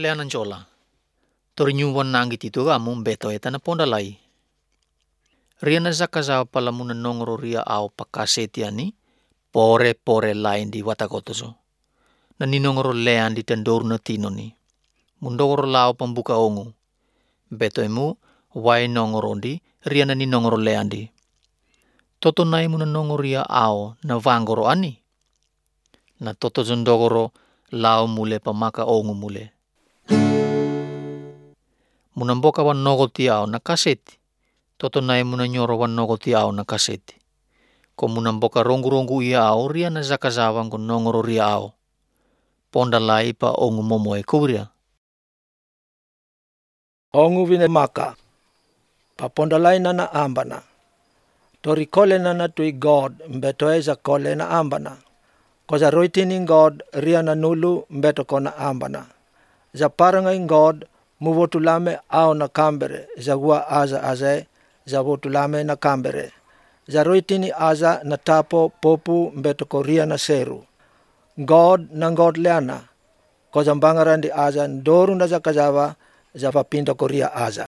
leanan jola. Torinyuwan nangit ito among beto eta na pondalay. Ria na zakazawa pala muna nongro ria au pakaseti ani, pore lain di watakotoso. Na ninongro lean di tendoru na tino ni. Mundogro lao pembuka ongu. Beto emu, wai nongro di, ria na ninongro lean di. Toto nai muna nongro ria au na vangoro ani. Na toto zondogoro lao mule pamaka ongu mule. Munamboka wan nogo ti au na kaseti. Toto nai muna nyoro wan nogo ti au na kaseti. Ko munamboka rongu ia au ria na zakazawang ko nongoro ria au. Ponda lai pa ongu momoe kuria. Ongu vine maka. Pa ponda lai na ambana. Tori kole na tui God mbeto eza kole na ambana. Ko za roitini God ria na nulu mbeto kona ambana. Za parangai God muvotulame au na kambere. Za gua aza za votulame na kambere. Za roitini aza na tapo popu mbeto ko ria na seru. God na God leana. Ko za mbangarandi aza ndoru na za kazawa za vapinda ko ria aza.